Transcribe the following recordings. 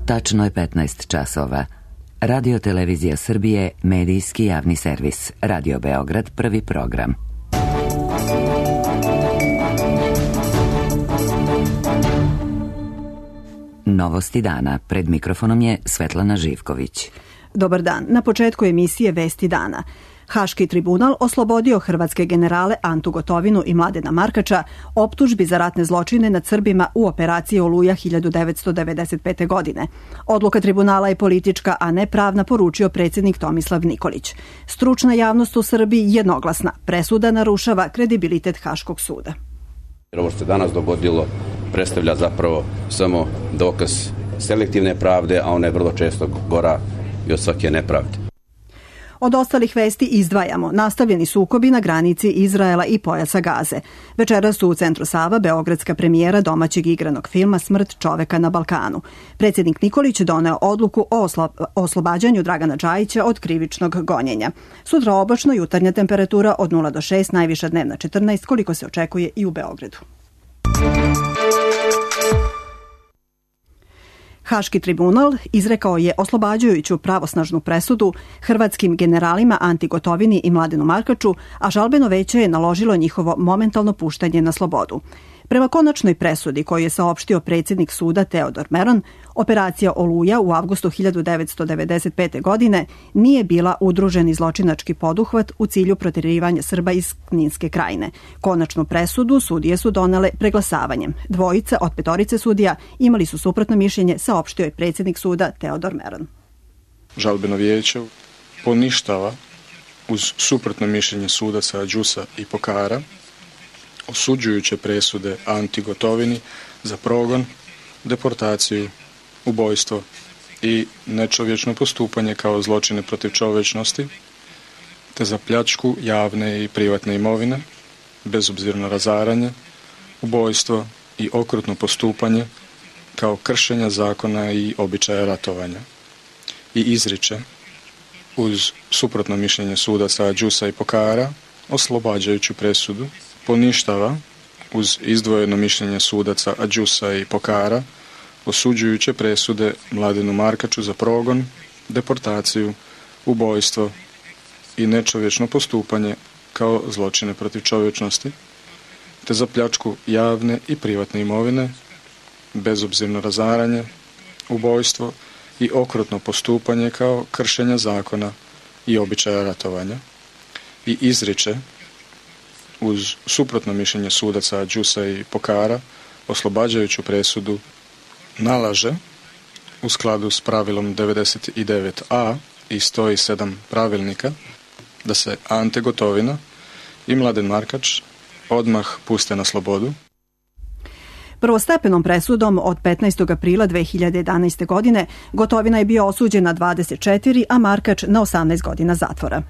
Tačno je 15 časova. Radio Televizija Srbije, medijski javni servis. Radio Beograd, prvi program. Novosti dana. Pred mikrofonom je Svetlana Živković. Dobar dan. Na početku emisije Vesti dana. Haški tribunal oslobodio hrvatske generale Antu Gotovinu i Mladena Markača optužbi za ratne zločine nad Srbima u operaciji Oluja 1995. godine. Odluka tribunala je politička, a ne pravna, poručio predsjednik Tomislav Nikolić. Stručna javnost u Srbiji jednoglasna. Presuda narušava kredibilitet Haškog suda. Ovo što se danas dogodilo predstavlja zapravo samo dokaz selektivne pravde, a ona je vrlo često gora i od svake nepravde. Od ostalih vesti izdvajamo nastavljeni sukobi na granici Izraela i pojasa Gaze. Večeras su u Centru Sava beogradska premijera domaćeg igranog filma Smrt čoveka na Balkanu. Predsjednik Nikolić doneo odluku o oslobađanju Dragana Džajića od krivičnog gonjenja. Sutra oblačno, jutarnja temperatura od 0 do 6, najviša dnevna 14, koliko se očekuje i u Beogradu. Haški tribunal izrekao je oslobađajuću pravosnažnu presudu hrvatskim generalima Anti Gotovini i Mladenu Markaču, a žalbeno veće je naložilo njihovo momentalno puštanje na slobodu. Prema konačnoj presudi koju je saopštio predsjednik suda Teodor Meron, operacija Oluja u avgustu 1995. godine nije bila udruženi zločinački poduhvat u cilju protjerivanja Srba iz Kninske krajine. Konačnu presudu sudije su donele preglasavanjem. Dvojica od 5 sudija imali su suprotno mišljenje, saopštio je predsjednik suda Teodor Meron. Žalbeno vijeće poništava uz suprotno mišljenje sudaca Đusa i Pokara osuđujuće presude Anti Gotovini za progon, deportaciju, ubojstvo i nečovječno postupanje kao zločine protiv čovječnosti, te za pljačku javne i privatne imovine, bezobzirno razaranje, ubojstvo i okrutno postupanje kao kršenja zakona i običaja ratovanja. I izriče, uz suprotno mišljenje sudaca Đusa i Pokara, oslobađajuću presudu, poništava uz izdvojeno mišljenje sudaca Đusa i Pokara osuđujuće presude Mladenu Markaču za progon, deportaciju, ubojstvo i nečovječno postupanje kao zločine protiv čovječnosti, te za pljačku javne i privatne imovine, bezobzirno razaranje, ubojstvo i okrutno postupanje kao kršenja zakona i običaja ratovanja. I izriče, uz suprotno mišljenje sudaca Đusa i Pokara, oslobađajuću presudu nalaže, u skladu s pravilom 99a i 107 pravilnika, da se Ante Gotovina i Mladen Markač odmah puste na slobodu. Prvostepenom presudom od 15. aprila 2011. godine Gotovina je bio osuđen na 24, a Markač na 18 godina zatvora.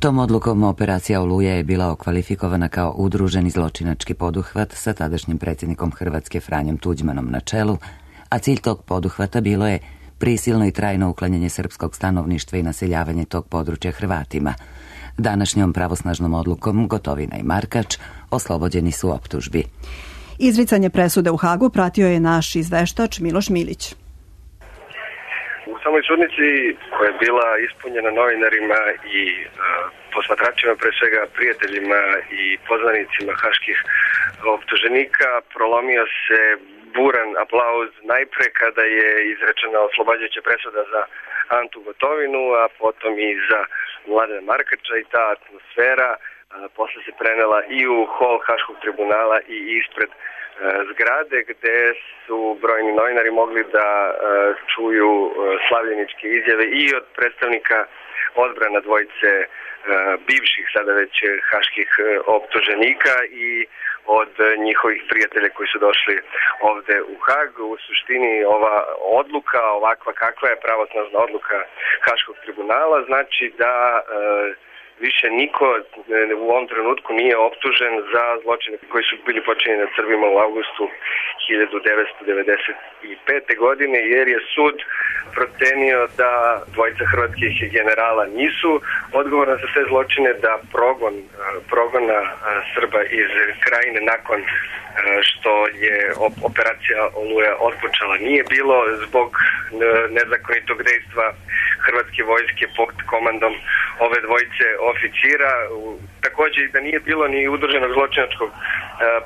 Tom odlukom operacija Oluja je bila okvalifikovana kao udruženi zločinački poduhvat sa tadašnjim predsjednikom Hrvatske Franjom Tuđmanom na čelu, a cilj tog poduhvata bilo je prisilno i trajno uklanjanje srpskog stanovništva i naseljavanje tog područja Hrvatima. Današnjom pravosnažnom odlukom Gotovina i Markač oslobođeni su optužbi. Izricanje presude u Hagu pratio je naš izveštač Miloš Milić. U samoj sudnici koja je bila ispunjena novinarima i posmatračima, pre svega prijateljima i poznanicima haških optuženika, prolomio se buran aplauz najpre kada je izrečena oslobađajuća presuda za Antu Gotovinu, a potom i za Mladena Markača, i ta atmosfera posle se prenela i u hol Haškog tribunala i ispred zgrade, gde su brojni novinari mogli da čuju slavljeničke izjave i od predstavnika odbrana dvojice bivših, sada već haških optuženika, i od njihovih prijatelja koji su došli ovde u Hag. U suštini ova odluka, ovakva kakva je pravosnažna odluka Haškog tribunala, znači da više niko u ovom trenutku nije optužen za zločine koji su bili počinjeni nad Srbima u avgustu 1995. godine, jer je sud procenio da dvojica hrvatskih generala nisu odgovorna za te zločine, da progona Srba iz Krajine nakon što je operacija Oluja otpočela nije bilo zbog nezakonitog dejstva hrvatske vojske pod komandom ove dvojice oficira. Također da nije bilo ni udruženog zločinačkog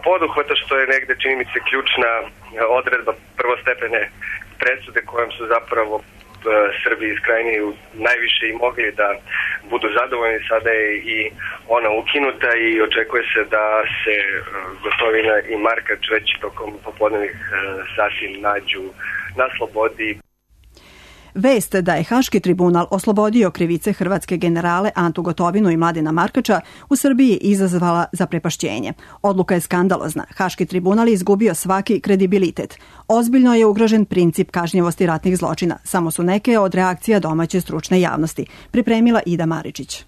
poduhvata, što je negde, čini mi se, ključna odredba prvostepene presude kojom su zapravo Srbi iz Krajine najviše i mogli da budu zadovoljni. Sada je i ona ukinuta i očekuje se da se Gotovina i Markač već tokom popodnevnih sati nađu na slobodi. Vest da je Haški tribunal oslobodio krivice hrvatske generale Antu Gotovinu i Mladena Markača u Srbiji izazvala zaprepašćenje. Odluka je skandalozna. Haški tribunal je izgubio svaki kredibilitet. Ozbiljno je ugrožen princip kažnjivosti ratnih zločina. Samo su neke od reakcija domaće stručne javnosti. Pripremila Ida Maričić.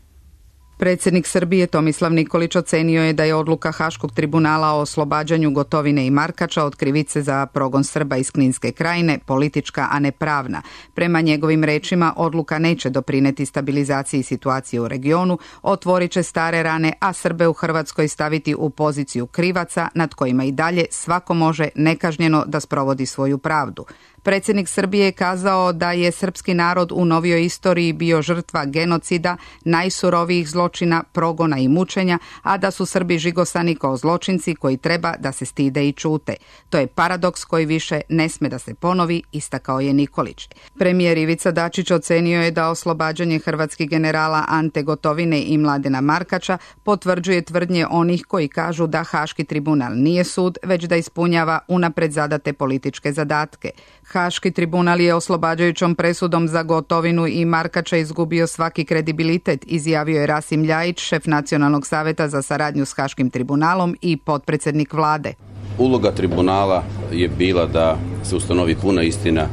Predsjednik Srbije Tomislav Nikolić ocenio je da je odluka Haškog tribunala o oslobađanju Gotovine i Markača od krivice za progon Srba iz Kninske Krajine politička, a ne pravna. Prema njegovim rečima, odluka neće doprineti stabilizaciji situacije u regionu, otvorit će stare rane, a Srbe u Hrvatskoj staviti u poziciju krivaca nad kojima i dalje svako može nekažnjeno da sprovodi svoju pravdu. Predsjednik Srbije je kazao da je srpski narod u novijoj istoriji bio žrtva genocida, najsurovijih zločina, progona i mučenja, a da su Srbi žigosani kao zločinci koji treba da se stide i čute. To je paradoks koji više ne sme da se ponovi, istakao je Nikolić. Premijer Ivica Dačić ocenio je da oslobađanje hrvatskih generala Ante Gotovine i Mladena Markača potvrđuje tvrdnje onih koji kažu da Haški tribunal nije sud, već da ispunjava unapred zadate političke zadatke. Haški tribunal je oslobađajućom presudom za Gotovinu i Markača izgubio svaki kredibilitet, izjavio je Rasim Ljajić, šef Nacionalnog saveta za saradnju s Haškim tribunalom i potpredsjednik vlade. Uloga tribunala je bila da se ustanovi puna istina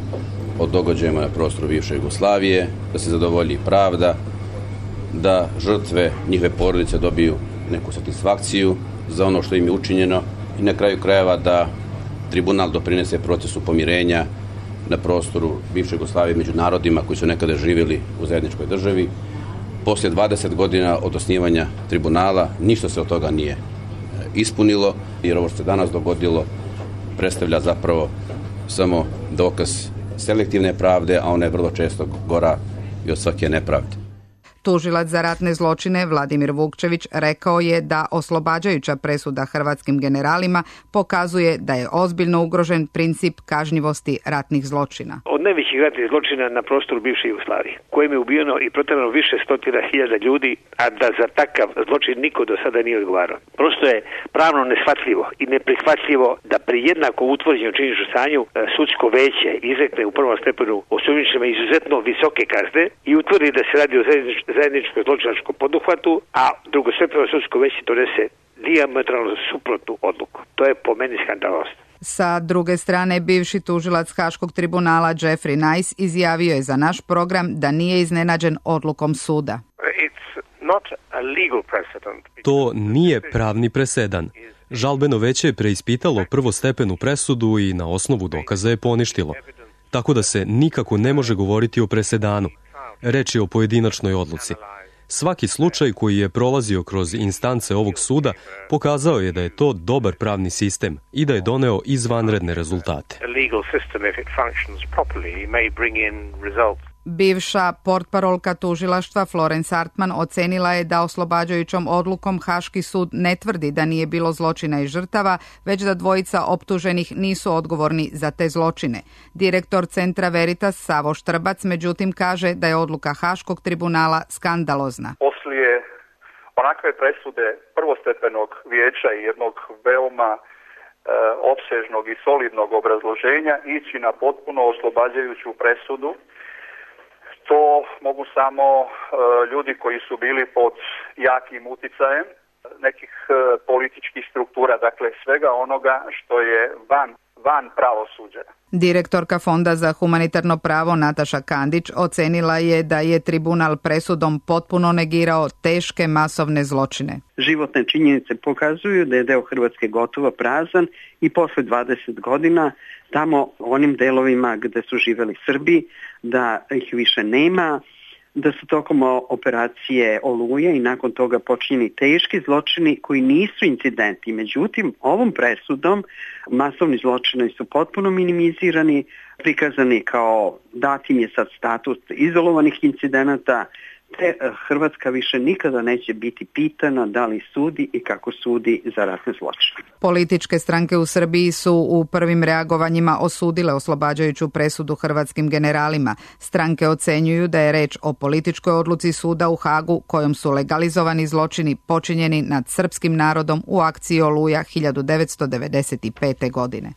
o događajima na prostoru bivše Jugoslavije, da se zadovolji pravda, da žrtve, njihove porodice dobiju neku satisfakciju za ono što im je učinjeno i na kraju krajeva da tribunal doprinese procesu pomirenja na prostoru bivše Jugoslavije među narodima koji su nekada živjeli u zajedničkoj državi. Poslije 20 godina od osnivanja tribunala ništa se od toga nije ispunilo, jer ovo što se danas dogodilo predstavlja zapravo samo dokaz selektivne pravde, a ona je vrlo često gora i od svake nepravde. Tužilac za ratne zločine Vladimir Vukčević rekao je da oslobađajuća presuda hrvatskim generalima pokazuje da je ozbiljno ugrožen princip kažnjivosti ratnih zločina. Od najvećih ratnih zločina na prostoru bivše Jugoslavije, kojim je ubijeno i proterano više stotina hiljada ljudi, a da za takav zločin niko do sada nije odgovarao. Prosto je pravno neshvatljivo i neprihvatljivo da pri jednako utvrđenom činjeničnom stanju sudsko veće izrekne u prvom stepenu osumnjičenima izuzetno visoke kazne i utvrdi da se radi o zajedničkom zločinačkom poduhvatu, a drugostepeno sudsko veće donese dijametralno suprotnu odluku. To je po meni skandalozno. Sa druge strane, bivši tužilac Haškog tribunala Jeffrey Nice izjavio je za naš program da nije iznenađen odlukom suda. To nije pravni presedan. Žalbeno veće je preispitalo prvostepenu presudu i na osnovu dokaza je poništilo. Tako da se nikako ne može govoriti o presedanu. Reč je o pojedinačnoj odluci. Svaki slučaj koji je prolazio kroz instance ovog suda pokazao je da je to dobar pravni sistem i da je doneo izvanredne rezultate. Bivša portparolka tužilaštva Florence Artman ocenila je da oslobađajućom odlukom Haški sud ne tvrdi da nije bilo zločina i žrtava, već da dvojica optuženih nisu odgovorni za te zločine. Direktor Centra Veritas Savo Štrbac međutim kaže da je odluka Haškog tribunala skandalozna. Poslije onakve presude prvostepenog vijeća i jednog veoma opsežnog i solidnog obrazloženja ići na potpuno oslobađajuću presudu, to mogu samo ljudi koji su bili pod jakim uticajem nekih političkih struktura, dakle svega onoga što je van van pravosuđa. Direktorka Fonda za humanitarno pravo Nataša Kandić ocenila je da je tribunal presudom potpuno negirao teške masovne zločine. Životne činjenice pokazuju da je deo Hrvatske gotovo prazan i posle 20 godina tamo u onim delovima gde su živeli Srbi, da ih više nema, da su tokom operacije Oluje i nakon toga počinjeni teški zločini koji nisu incidenti. Međutim, ovom presudom masovni zločini su potpuno minimizirani, prikazani kao datim je sad status izolovanih incidenata, te Hrvatska više nikada neće biti pitana da li sudi i kako sudi za ratne zločine. Političke stranke u Srbiji su u prvim reagovanjima osudile oslobađajuću presudu hrvatskim generalima. Stranke ocenjuju da je reč o političkoj odluci suda u Hagu kojom su legalizovani zločini počinjeni nad srpskim narodom u akciji Oluja 1995. godine.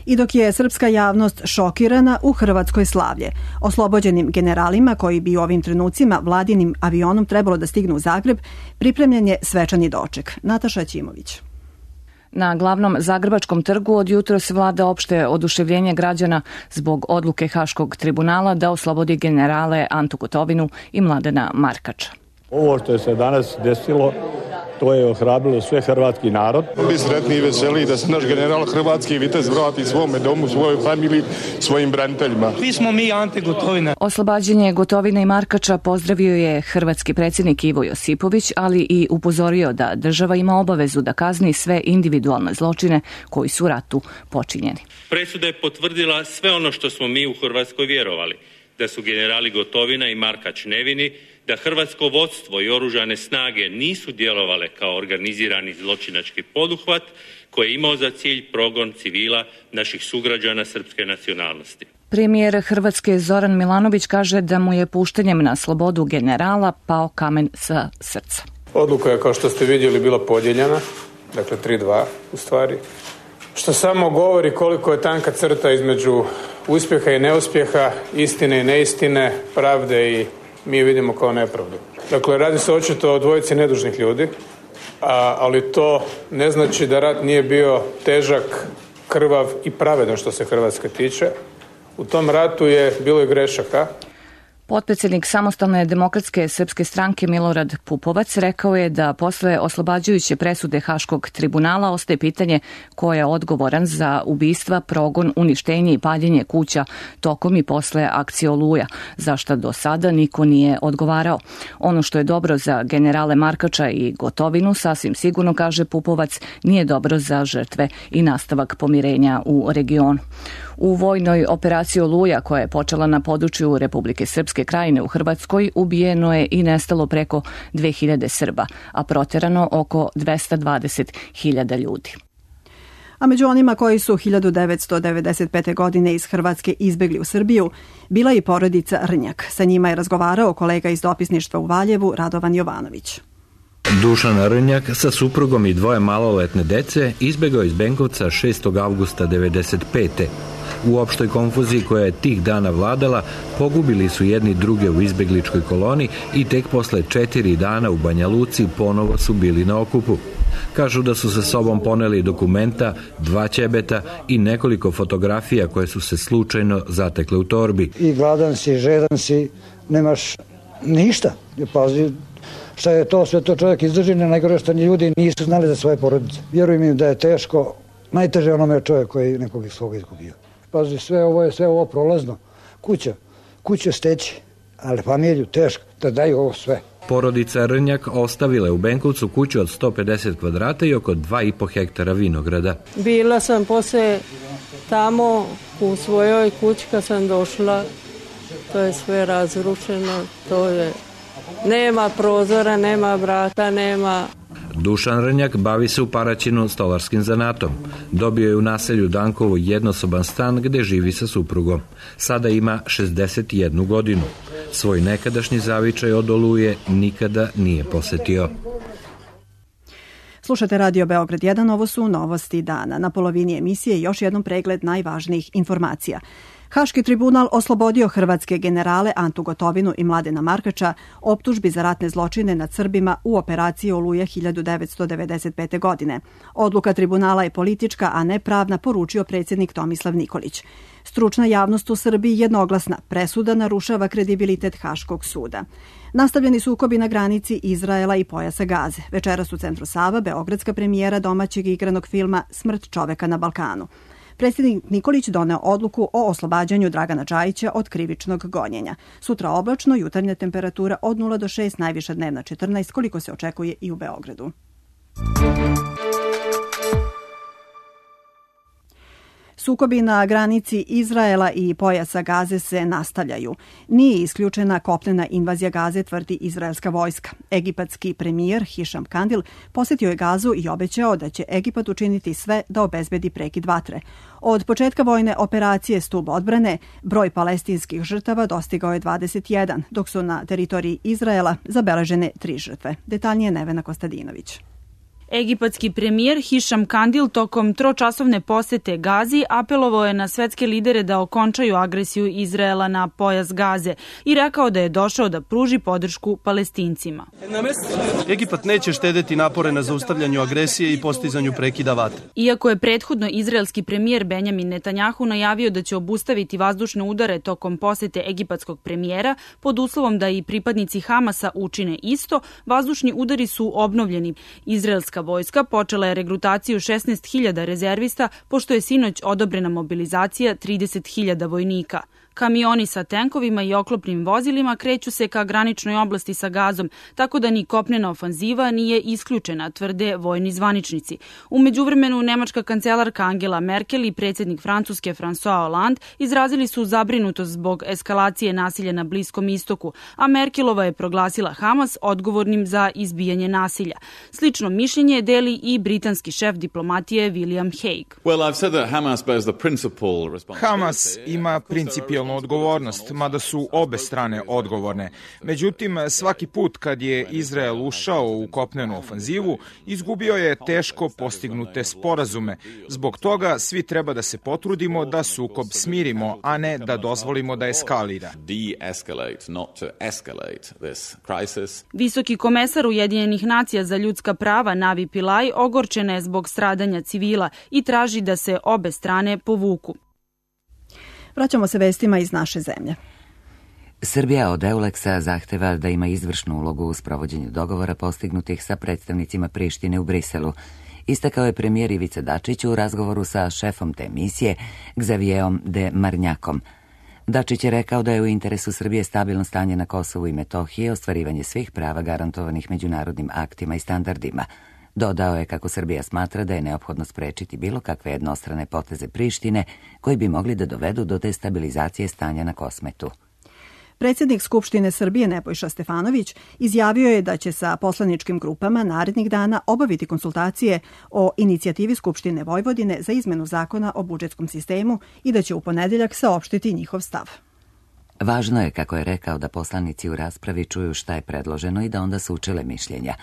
I dok je srpska javnost šokirana, u Hrvatskoj slavlje. Oslobođenim generalima koji bi u ovim trenucima vladinim avionom trebalo da stignu u Zagreb, pripremljen je svečani doček. Nataša Ćimović. Na glavnom Zagrebačkom trgu od jutros vlada opšte oduševljenje građana zbog odluke Haškog tribunala da oslobodi generale Antu Gotovinu i Mladena Markača. Ovo što je se danas desilo, to je ohrabrilo sve hrvatski narod. Mi sretni i veseli da se naš general hrvatski vitez vrati svome domu, svojoj familiji, svojim braniteljima. Svi smo mi Ante Gotovina. Oslobađanje Gotovine i Markača pozdravio je hrvatski predsjednik Ivo Josipović, ali i upozorio da država ima obavezu da kazni sve individualne zločine koji su u ratu počinjeni. Presuda je potvrdila sve ono što smo mi u Hrvatskoj vjerovali, da su generali Gotovina i Markač nevini, da hrvatsko vodstvo i oružane snage nisu djelovale kao organizirani zločinački poduhvat koji je imao za cilj progon civila naših sugrađana srpske nacionalnosti. Premijer Hrvatske Zoran Milanović kaže da mu je puštanjem na slobodu generala pao kamen sa srca. Odluka je, kao što ste vidjeli, bila podijeljena, dakle 3-2 u stvari, što samo govori koliko je tanka crta između uspjeha i neuspjeha, istine i neistine, pravde i mi vidimo kao nepravdu. Dakle, radi se očito o dvojici nedužnih ljudi, ali to ne znači da rat nije bio težak, krvav i pravedan što se Hrvatske tiče. U tom ratu je bilo i grešaka. Potpredsjednik Samostalne demokratske srpske stranke Milorad Pupovac rekao je da posle oslobađajuće presude Haškog tribunala ostaje pitanje ko je odgovoran za ubistva, progon, uništenje i paljenje kuća tokom i posle akcije Oluja, za šta do sada niko nije odgovarao. Ono što je dobro za generale Markača i Gotovinu, sasvim sigurno, kaže Pupovac, nije dobro za žrtve i nastavak pomirenja u regionu. U vojnoj operaciji Oluja, koja je počela na području Republike Srpske Krajine u Hrvatskoj, ubijeno je i nestalo preko 2000 Srba, a proterano oko 220.000 ljudi. A među onima koji su 1995. godine iz Hrvatske izbegli u Srbiju, bila i porodica Rnjak. Sa njima je razgovarao kolega iz dopisništva u Valjevu, Radovan Jovanović. Dušan Rnjak sa suprugom i dvoje maloletne dece izbegao iz Benkovca 6. avgusta 1995. U opštoj konfuziji koja je tih dana vladala, pogubili su jedni druge u izbegličkoj koloni i tek posle 4 dana u Banja Luci ponovo su bili na okupu. Kažu da su sa sobom poneli dokumenta, 2 ćebeta i nekoliko fotografija koje su se slučajno zatekle u torbi. I gladan si, žedan si, nemaš ništa. Pazi, šta je to, sve to čovjek izdrži, najgore što ni ljudi nisu znali za svoje porodice. Vjerujem im da je teško, najteže onome čovjek koji nekog svoga izgubio. Pazi, sve ovo prolazno. Kuća steći, ali familiju teško, da daju ovo sve. Porodica Rnjak ostavila je u Benkovcu kuću od 150 kvadrata i oko 2,5 hektara vinograda. Bila sam posle tamo u svojoj kući kad sam došla, to je sve razrušeno, to je, nema prozora, nema vrata, nema... Dušan Rnjak bavi se u Paraćinu stolarskim zanatom. Dobio je u naselju Dankovo jednosoban stan gde živi sa suprugom. Sada ima 61 godinu. Svoj nekadašnji zavičaj od Oluje nikada nije posetio. Slušate Radio Beograd 1, ovo su novosti dana. Na polovini emisije još jednom pregled najvažnijih informacija. Haški tribunal oslobodio hrvatske generale Antu Gotovinu i Mladena Markača optužbi za ratne zločine nad Srbima u operaciji Oluja 1995. godine. Odluka tribunala je politička, a ne pravna, poručio predsjednik Tomislav Nikolić. Stručna javnost u Srbiji jednoglasna, presuda narušava kredibilitet Haškog suda. Nastavljeni sukobi na granici Izraela i pojasa Gaze. Večeras u centru Sava beogradska premijera domaćeg igranog filma Smrt čoveka na Balkanu. Predsjednik Nikolić doneo odluku o oslobađanju Dragana Džajića od krivičnog gonjenja. Sutra oblačno, jutarnja temperatura od 0 do 6, najviša dnevna 14, koliko se očekuje i u Beogradu. Sukobi na granici Izraela i pojasa Gaze se nastavljaju. Nije isključena kopnena invazija Gaze, tvrdi izraelska vojska. Egipatski premijer Hišam Kandil posjetio je Gazu i obećao da će Egipat učiniti sve da obezbedi prekid vatre. Od početka vojne operacije Stub odbrane broj palestinskih žrtava dostigao je 21, dok su na teritoriji Izraela zabeležene 3 žrtve. Detaljnije Nevena Kostadinović. Egipatski premijer Hišam Kandil tokom tročasovne posete Gazi apelovao je na svetske lidere da okončaju agresiju Izraela na pojas Gaze i rekao da je došao da pruži podršku Palestincima. Egipat neće štedeti napore na zaustavljanju agresije i postizanju prekida vatre. Iako je prethodno izraelski premijer Benjamin Netanjahu najavio da će obustaviti vazdušne udare tokom posete egipatskog premijera, pod uslovom da i pripadnici Hamasa učine isto, vazdušni udari su obnovljeni. Izraelska vojska počela je regrutaciju 16.000 rezervista, pošto je sinoć odobrena mobilizacija 30.000 vojnika. Kamioni sa tenkovima i oklopnim vozilima kreću se ka graničnoj oblasti sa Gazom, tako da ni kopnena ofanziva nije isključena, tvrde vojni zvaničnici. U međuvremenu, nemačka kancelarka Angela Merkel i predsjednik Francuske François Hollande izrazili su zabrinutost zbog eskalacije nasilja na Bliskom istoku, a Merkelova je proglasila Hamas odgovornim za izbijanje nasilja. Slično mišljenje deli i britanski šef diplomatije William Hague. Hamas ima principijalnu odgovornost, mada su obe strane odgovorne. Međutim, svaki put kad je Izrael ušao u kopnenu ofanzivu, izgubio je teško postignute sporazume. Zbog toga svi treba da se potrudimo da sukob smirimo, a ne da dozvolimo da eskalira. Visoki komesar Ujedinjenih nacija za ljudska prava Navi Pillay ogorčena je zbog stradanja civila i traži da se obe strane povuku. Vraćamo se vestima iz naše zemlje. Srbija od EULEX-a zahteva da ima izvršnu ulogu u sprovođenju dogovora postignutih sa predstavnicima Prištine u Briselu. Istakao je premijer Ivica Dačić u razgovoru sa šefom te misije, Xavierom de Marnjakom. Dačić je rekao da je u interesu Srbije stabilno stanje na Kosovu i Metohiji, ostvarivanje svih prava garantovanih međunarodnim aktima i standardima. Dodao je kako Srbija smatra da je neophodno sprečiti bilo kakve jednostrane poteze Prištine koji bi mogli da dovedu do destabilizacije stanja na Kosmetu. Predsjednik Skupštine Srbije Nebojša Stefanović izjavio je da će sa poslaničkim grupama narednih dana obaviti konsultacije o inicijativi Skupštine Vojvodine za izmenu zakona o budžetskom sistemu i da će u ponedeljak saopštiti njihov stav. Važno je, kako je rekao, da poslanici u raspravi čuju šta je predloženo i da onda sučele mišljenja.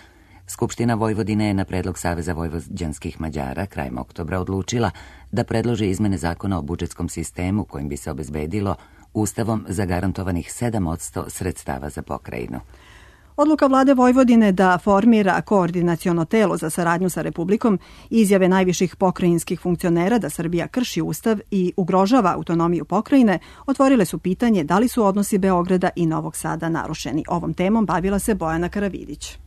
Skupština Vojvodine je na predlog Saveza vojvođanskih Mađara krajem oktobra odlučila da predloži izmene zakona o budžetskom sistemu kojim bi se obezbedilo Ustavom zagarantovanih 7% sredstava za pokrajinu. Odluka vlade Vojvodine da formira koordinaciono telo za saradnju sa Republikom i izjave najviših pokrajinskih funkcionera da Srbija krši Ustav i ugrožava autonomiju pokrajine otvorile su pitanje da li su odnosi Beograda i Novog Sada narušeni. Ovom temom bavila se Bojana Karavidić.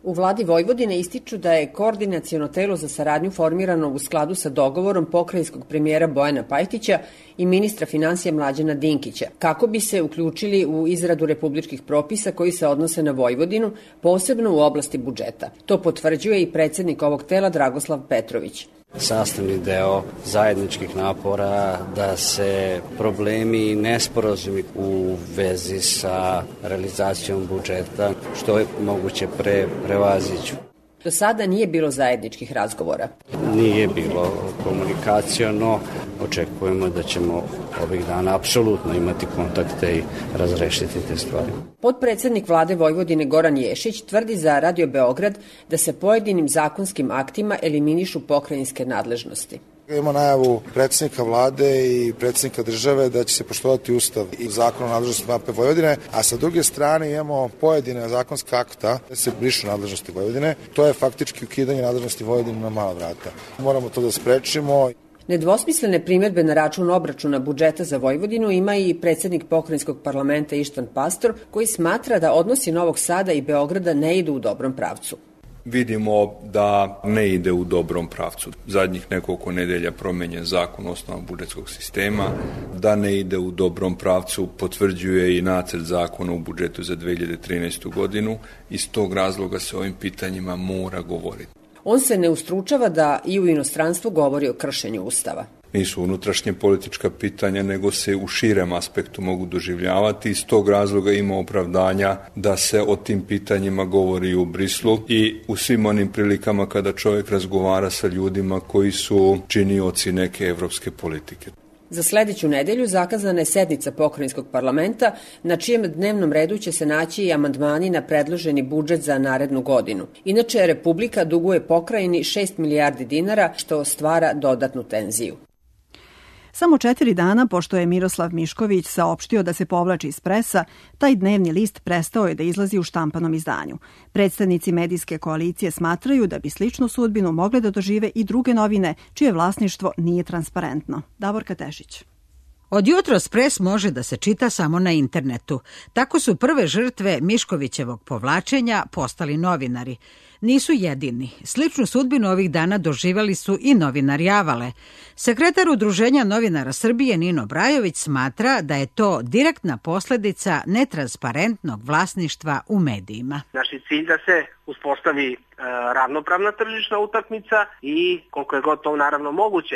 U vladi Vojvodine ističu da je koordinaciono telo za saradnju formirano u skladu sa dogovorom pokrajinskog premijera Bojana Pajtića i ministra finansija Mlađana Dinkića, kako bi se uključili u izradu republičkih propisa koji se odnose na Vojvodinu, posebno u oblasti budžeta. To potvrđuje i predsjednik ovog tela Dragoslav Petrović. Sastavni deo zajedničkih napora da se problemi i nesporazumi u vezi sa realizacijom budžeta što je moguće prevaziđu. Do sada nije bilo zajedničkih razgovora. Nije bilo komunikaciono. Očekujemo da ćemo ovih dana apsolutno imati kontakte i razrešiti te stvari. Potpredsednik vlade Vojvodine Goran Ješić tvrdi za Radio Beograd da se pojedinim zakonskim aktima eliminišu pokrajinske nadležnosti. Imamo najavu predsjednika vlade i predsjednika države da će se poštovati Ustav i Zakon o nadležnosti AP Vojvodine, a sa druge strane imamo pojedine zakonske akta da se brišu nadležnosti Vojvodine. To je faktički ukidanje nadležnosti Vojvodine na mala vrata. Moramo to da sprečimo. Nedvosmislene primjedbe na račun obračuna budžeta za Vojvodinu ima i predsjednik pokrajinskog parlamenta Ištan Pastor, koji smatra da odnosi Novog Sada i Beograda ne idu u dobrom pravcu. Vidimo da ne ide u dobrom pravcu. Zadnjih nekoliko nedelja promenjen zakon o osnovama budžetskog sistema, da ne ide u dobrom pravcu potvrđuje i nacrt zakona u budžetu za 2013. godinu. Iz tog razloga se o ovim pitanjima mora govoriti. On se ne ustručava da i u inostranstvu govori o kršenju Ustava. Nisu unutrašnje politička pitanja, nego se u širem aspektu mogu doživljavati. Iz tog razloga ima opravdanja da se o tim pitanjima govori u Brislu i u svim onim prilikama kada čovjek razgovara sa ljudima koji su činioci neke evropske politike. Za sledeću nedelju zakazana je sednica pokrajinskog parlamenta, na čijem dnevnom redu će se naći i amandmani na predloženi budžet za narednu godinu. Inače, Republika duguje pokrajini 6 milijardi dinara, što stvara dodatnu tenziju. Samo 4 dana pošto je Miroslav Mišković saopštio da se povlači iz Presa, taj dnevni list prestao je da izlazi u štampanom izdanju. Predstavnici medijske koalicije smatraju da bi sličnu sudbinu mogle da dožive i druge novine, čije vlasništvo nije transparentno. Davorka Tešić. Od jutros Pres može da se čita samo na internetu. Tako su prve žrtve Miškovićevog povlačenja postali novinari. Nisu jedini. Sličnu sudbinu ovih dana doživjeli su i novinari Avale. Sekretar Udruženja novinara Srbije Nino Brajović smatra da je to direktna posledica netransparentnog vlasništva u medijima. Naš je cilj da se uspostavi ravnopravna tržišna utakmica i koliko je god to naravno moguće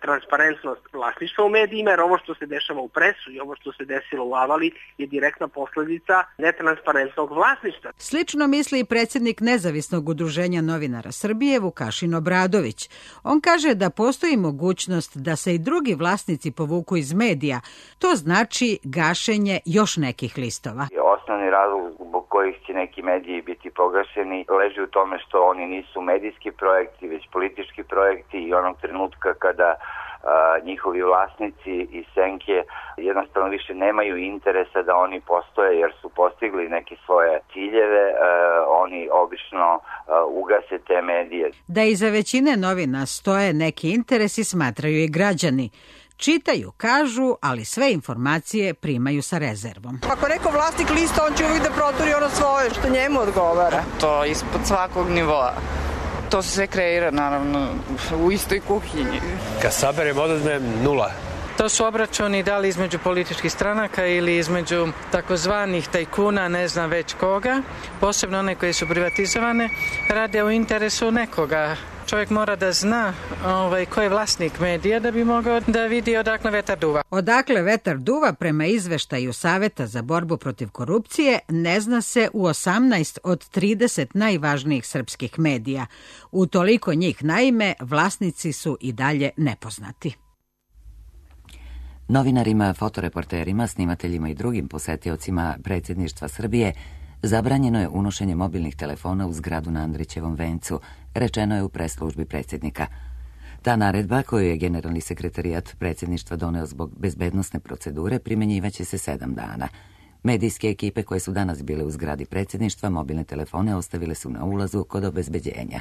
transparentnost vlasništva u medijima, jer ovo što se dešava u Presu i ovo što se desilo u Avali je direktna posledica netransparentnog vlasništva. Slično misli i predsjednik Nezavisnog udruženja novinara Srbije Vukašin Obradović. On kaže da postoji mogućnost da se i drugi vlasnici povuku iz medija. To znači gašenje još nekih listova. Osnovni razlog zbog kojih će neki mediji biti pogašeni leži u tome što oni nisu medijski projekti, već politički projekti i onog trenutka kada njihovi vlasnici i senke jednostavno više nemaju interesa da oni postoje jer su postigli neke svoje ciljeve, oni obično ugase te medije. Da iza većine novina stoje neki interesi smatraju i građani. Čitaju, kažu, ali sve informacije primaju sa rezervom. Ako neko vlasnik lista, on će uvijek da proturi ono svoje što njemu odgovara. To je ispod svakog nivoa. To se sve kreira, naravno, u istoj kuhinji. Kad saberem, odazmem 0. To su obračuni da li između političkih stranaka ili između takozvanih tajkuna, ne znam već koga, posebno one koje su privatizovane, rade u interesu nekoga. Čovjek mora da zna ko je vlasnik medija da bi mogao da vidi odakle vetar duva. Odakle vetar duva prema izveštaju Saveta za borbu protiv korupcije ne zna se u 18 od 30 najvažnijih srpskih medija. U toliko njih naime vlasnici su i dalje nepoznati. Novinarima, fotoreporterima, snimateljima i drugim posetiocima predsjedništva Srbije zabranjeno je unošenje mobilnih telefona u zgradu na Andrićevom vencu, rečeno je u pres službi predsjednika. Ta naredba, koju je generalni sekretarijat predsjedništva doneo zbog bezbednosne procedure, primjenjivaće se 7 dana. Medijske ekipe koje su danas bile u zgradi predsjedništva mobilne telefone ostavile su na ulazu kod obezbeđenja.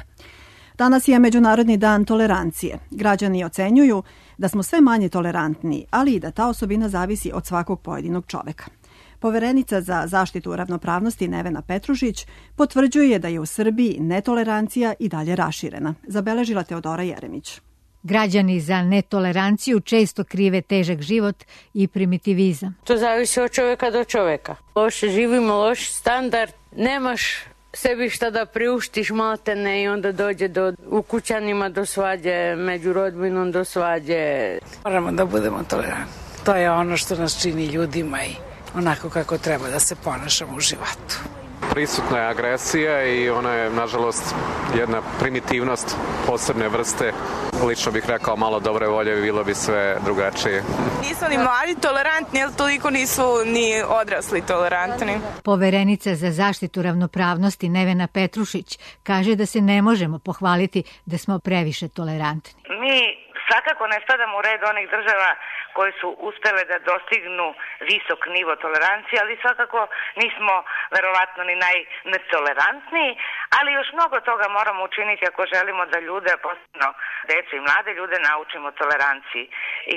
Danas je Međunarodni dan tolerancije. Građani ocenjuju da smo sve manje tolerantni, ali i da ta osobina zavisi od svakog pojedinog čoveka. Poverenica za zaštitu ravnopravnosti Nevena Petrušić potvrđuje da je u Srbiji netolerancija i dalje raširena, zabeležila Teodora Jeremić. Građani za netoleranciju često krive težak život i primitivizam. To zavisi od čoveka do čoveka. Loše živimo, loš standard, nemaš sebi šta da priuštiš maltene i onda dođe u kućanima do svađe, među rodbinom do svađe. Moramo da budemo tolerantni. To je ono što nas čini ljudima i onako kako treba da se ponašamo u životu. Prisutna je agresija i ona je, nažalost, jedna primitivnost posebne vrste. Lično bih rekao malo dobre volje, bilo bi sve drugačije. Nisu ni mladi tolerantni, jer toliko nisu ni odrasli tolerantni. Poverenica za zaštitu ravnopravnosti Nevena Petrušić kaže da se ne možemo pohvaliti da smo previše tolerantni. Mi Svakako ne spadamo u red onih država koje su uspele da dostignu visok nivo tolerancije, ali svakako nismo verovatno ni najnetolerantniji, ali još mnogo toga moramo učiniti ako želimo da ljude, posebno decu i mlade ljude, naučimo toleranciji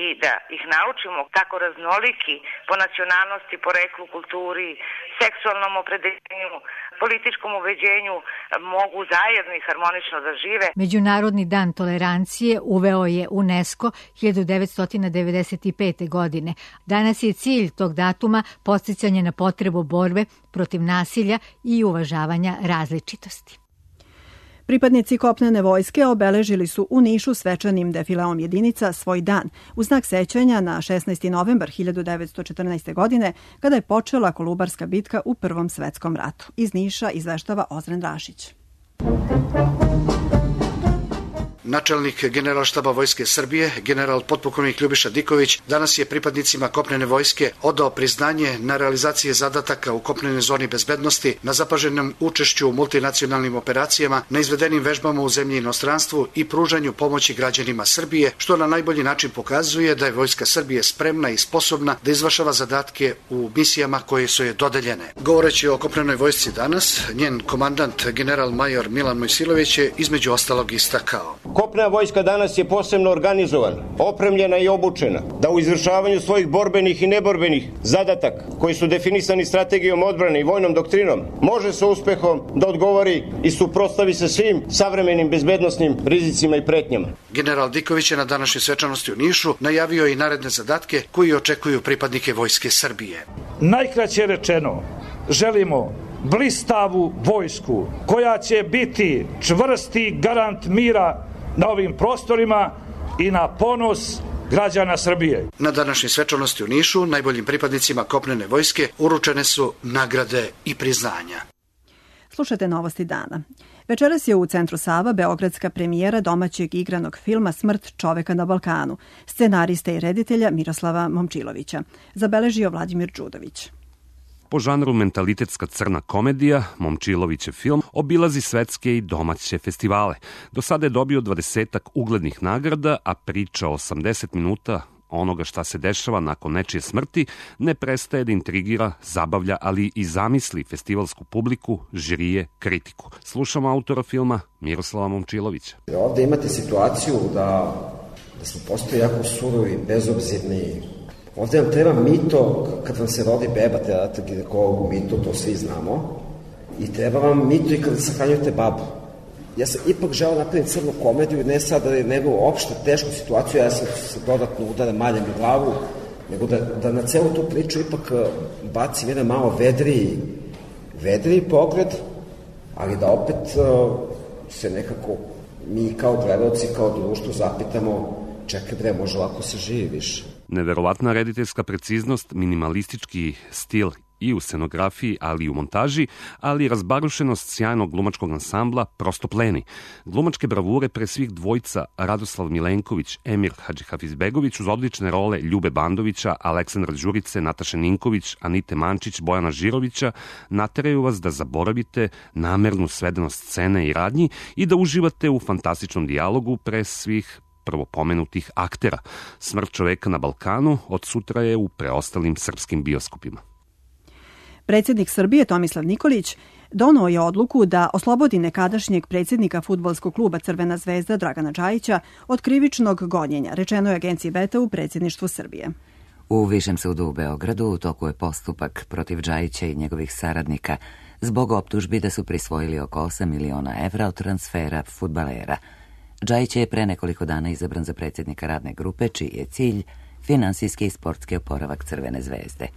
i da ih naučimo kako raznoliki po nacionalnosti, poreklu, kulturi, seksualnom opredeljenju, političkom ubeđenju mogu zajedno i harmonično da žive. Međunarodni dan tolerancije uveo je UNESCO 1995. godine. Danas je cilj tog datuma podsticanje na potrebu borbe protiv nasilja i uvažavanja različitosti. Pripadnici kopnene vojske obeležili su u Nišu svečanim defileom jedinica svoj dan u znak sećanja na 16. novembar 1914. godine kada je počela Kolubarska bitka u Prvom svetskom ratu. Iz Niša izveštava Ozren Rašić. Načelnik Generalštaba Vojske Srbije, general potpukovnik Ljubiša Diković, danas je pripadnicima kopnene vojske odao priznanje na realizacije zadataka u kopnenoj zoni bezbednosti, na zapaženom učešću u multinacionalnim operacijama, na izvedenim vežbama u zemlji i inostranstvu i pružanju pomoći građanima Srbije, što na najbolji način pokazuje da je Vojska Srbije spremna i sposobna da izvršava zadatke u misijama koje su je dodeljene. Govoreći o kopnenoj vojsci danas, njen komandant general major Milan Mojsilović je između ostalog istakao: Kopnena vojska danas je posebno organizovana, opremljena i obučena, da u izvršavanju svojih borbenih i neborbenih zadataka, koji su definisani strategijom odbrane i vojnom doktrinom, može sa uspehom da odgovori i suprotstavi se svim savremenim bezbednosnim rizicima i pretnjama. General Diković je na današnjoj svečanosti u Nišu najavio i naredne zadatke koji očekuju pripadnike Vojske Srbije. Najkraće rečeno, želimo blistavu vojsku koja će biti čvrsti garant mira na ovim prostorima i na ponos građana Srbije. Na današnjoj svečanosti u Nišu najboljim pripadnicima kopnene vojske uručene su nagrade i priznanja. Slušajte novosti dana. Večeras je u Centru Sava beogradska premijera domaćeg igranog filma Smrt čoveka na Balkanu, scenariste i reditelja Miroslava Momčilovića. Zabeležio Vladimir Đudović. Po žanru mentalitetska crna komedija, Momčilovićev film obilazi svetske i domaće festivale. Do sada je dobio 20 uglednih nagrada, a priča 80 minuta onoga šta se dešava nakon nečije smrti ne prestaje da intrigira, zabavlja, ali i zamisli festivalsku publiku, žirije, kritiku. Slušamo autora filma Miroslava Momčilovića. Ovde imate situaciju da smo postali jako surovi, bezobzirni. Ovde vam treba mito, kad vam se rodi beba, treba dati ginekologu mito, to svi znamo. I treba vam mito i kada sahranjujete babu. Ja sam ipak želeo napraviti crnu komediju, ne sad da je nego opšte tešku situaciju, ja sam se dodatno udara maljem u glavu, nego da na celu tu priču ipak bacim jedan malo vedriji pogled, ali da opet se nekako mi kao gledalci, kao društvo zapitamo, čekaj bre, može lako se živi više. Neverovatna rediteljska preciznost, minimalistički stil i u scenografiji, ali i u montaži, ali i razbarušenost sjajnog glumačkog ansambla prosto pleni. Glumačke bravure pre svih dvojca Radoslav Milenković, Emir Hadžihafizbegović uz odlične role Ljube Bandovića, Aleksandra Đurice, Nataše Ninković, Anite Mančić, Bojana Žirovića nateraju vas da zaboravite namernu svedenost scene i radnji i da uživate u fantastičnom dijalogu pre svih prvo pomenutih aktera. Smrt čoveka na Balkanu od sutra je u preostalim srpskim bioskopima. Predsjednik Srbije Tomislav Nikolić doneo je odluku da oslobodi nekadašnjeg predsjednika fudbalskog kluba Crvena zvezda Dragana Džajića od krivičnog gonjenja, rečeno je agenciji Beta u predsjedništvu Srbije. U Višem sudu u Beogradu u toku je postupak protiv Džajića i njegovih saradnika zbog optužbi da su prisvojili oko 8 miliona evra od transfera fudbalera. Džajić je pre nekoliko dana izabran za predsjednika radne grupe, čiji je cilj finansijski i sportski oporavak Crvene zvezde.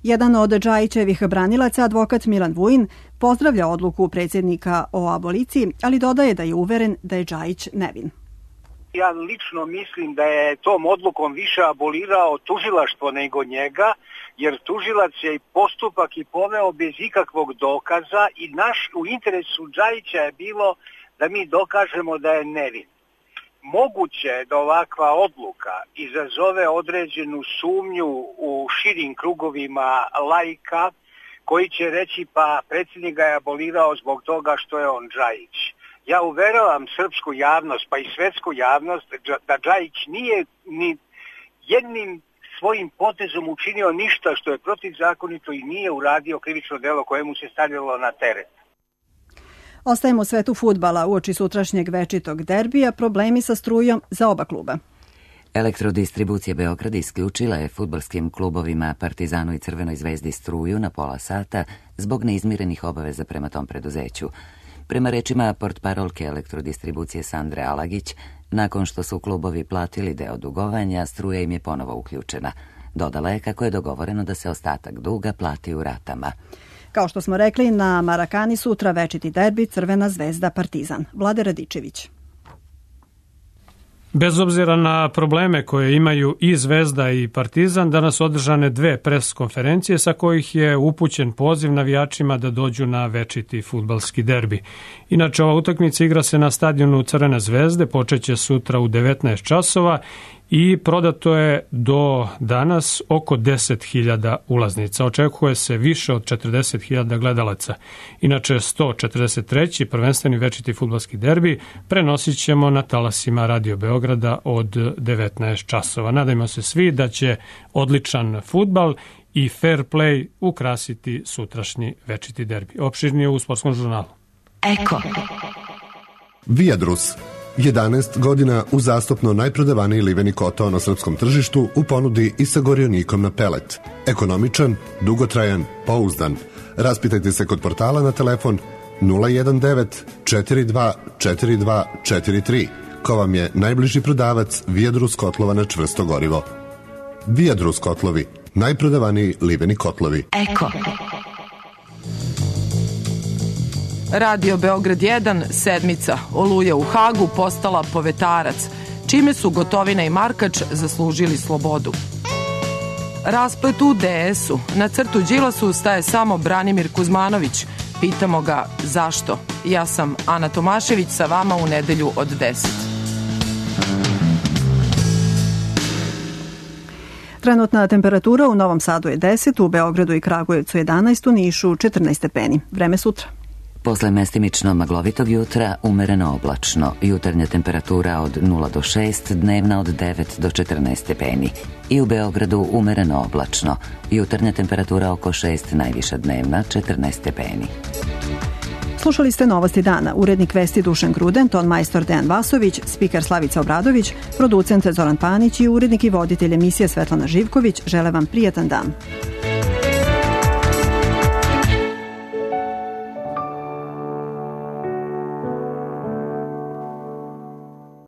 Jedan od Džajićevih branilaca, advokat Milan Vujin, pozdravlja odluku predsjednika o aboliciji, ali dodaje da je uveren da je Džajić nevin. Ja lično mislim da je tom odlukom više abolirao tužilaštvo nego njega, jer tužilac je postupak i poveo bez ikakvog dokaza i naš u interesu Džajića je bilo da mi dokažemo da je nevin. Moguće je da ovakva odluka izazove određenu sumnju u širim krugovima laika koji će reći pa predsjednik ga je abolirao zbog toga što je on Džajić. Ja uveravam srpsku javnost, pa i svetsku javnost, da Džajić nije ni jednim svojim potezom učinio ništa što je protivzakonito i nije uradio krivično delo koje mu se stavljalo na teret. Ostajemo u svetu fudbala. Uoči sutrašnjeg večitog derbija problemi sa strujom za oba kluba. Elektrodistribucija Beograda isključila je fudbalskim klubovima Partizanu i Crvenoj zvezdi struju na pola sata zbog neizmirenih obaveza prema tom preduzeću. Prema rečima portparolke elektrodistribucije Sandre Alagić, nakon što su klubovi platili deo dugovanja, struja im je ponovo uključena. Dodala je kako je dogovoreno da se ostatak duga plati u ratama. Kao što smo rekli, na Marakani sutra večiti derbi Crvena zvezda Partizan. Vlade Radičević. Bez obzira na probleme koje imaju i Zvezda i Partizan, danas održane 2 pres konferencije sa kojih je upućen poziv navijačima da dođu na večiti fudbalski derbi. Inače, ova utakmica igra se na stadionu Crvene zvezde, počeće sutra u 19 časova i prodato je do danas oko 10.000 ulaznica. Očekuje se više od 40.000 gledalaca. Inače, 143. prvenstveni večiti fudbalski derbi prenosit ćemo na talasima Radio Beograda od 19 časova. Nadajmo se svi da će odličan fudbal i fair play ukrasiti sutrašnji večiti derbi. Opširnije u Sportskom žurnalu. Eko. Viadrus. 11 godina uzastopno najprodavaniji liveni kotao na srpskom tržištu u ponudi i sa gorionikom na pelet. Ekonomičan, dugotrajan, pouzdan. Raspitajte se kod portala na telefon 019 42 42 43. Ko vam je najbliži prodavac Viadrus kotlova na čvrsto gorivo. Viadrus kotlovi, najprodavaniji liveni kotlovi. Eko. Radio Beograd 1, sedmica, Oluja u Hagu postala povetarac, čime su Gotovina i Markač zaslužili slobodu. Rasplet u DS-u, na crtu Đilasu staje samo Branimir Kuzmanović. Pitamo ga zašto. Ja sam Ana Tomašević, sa vama u nedelju od 10. Trenutna temperatura u Novom Sadu je 10, u Beogradu i Kragujevcu 11, u Nišu 14 stepeni. Vreme sutra. Posle mestimično maglovitog jutra, umereno oblačno. Jutarnja temperatura od 0 do 6, dnevna od 9 do 14 stepeni. I u Beogradu umereno oblačno. Jutarnja temperatura oko 6, najviša dnevna 14 stepeni. Slušali ste Novosti dana. Urednik vesti Dušan Gruden, ton majstor Dejan Vasović, spiker Slavica Obradović, producent Zoran Panić i urednik i voditelj emisije Svetlana Živković žele vam prijatan dan.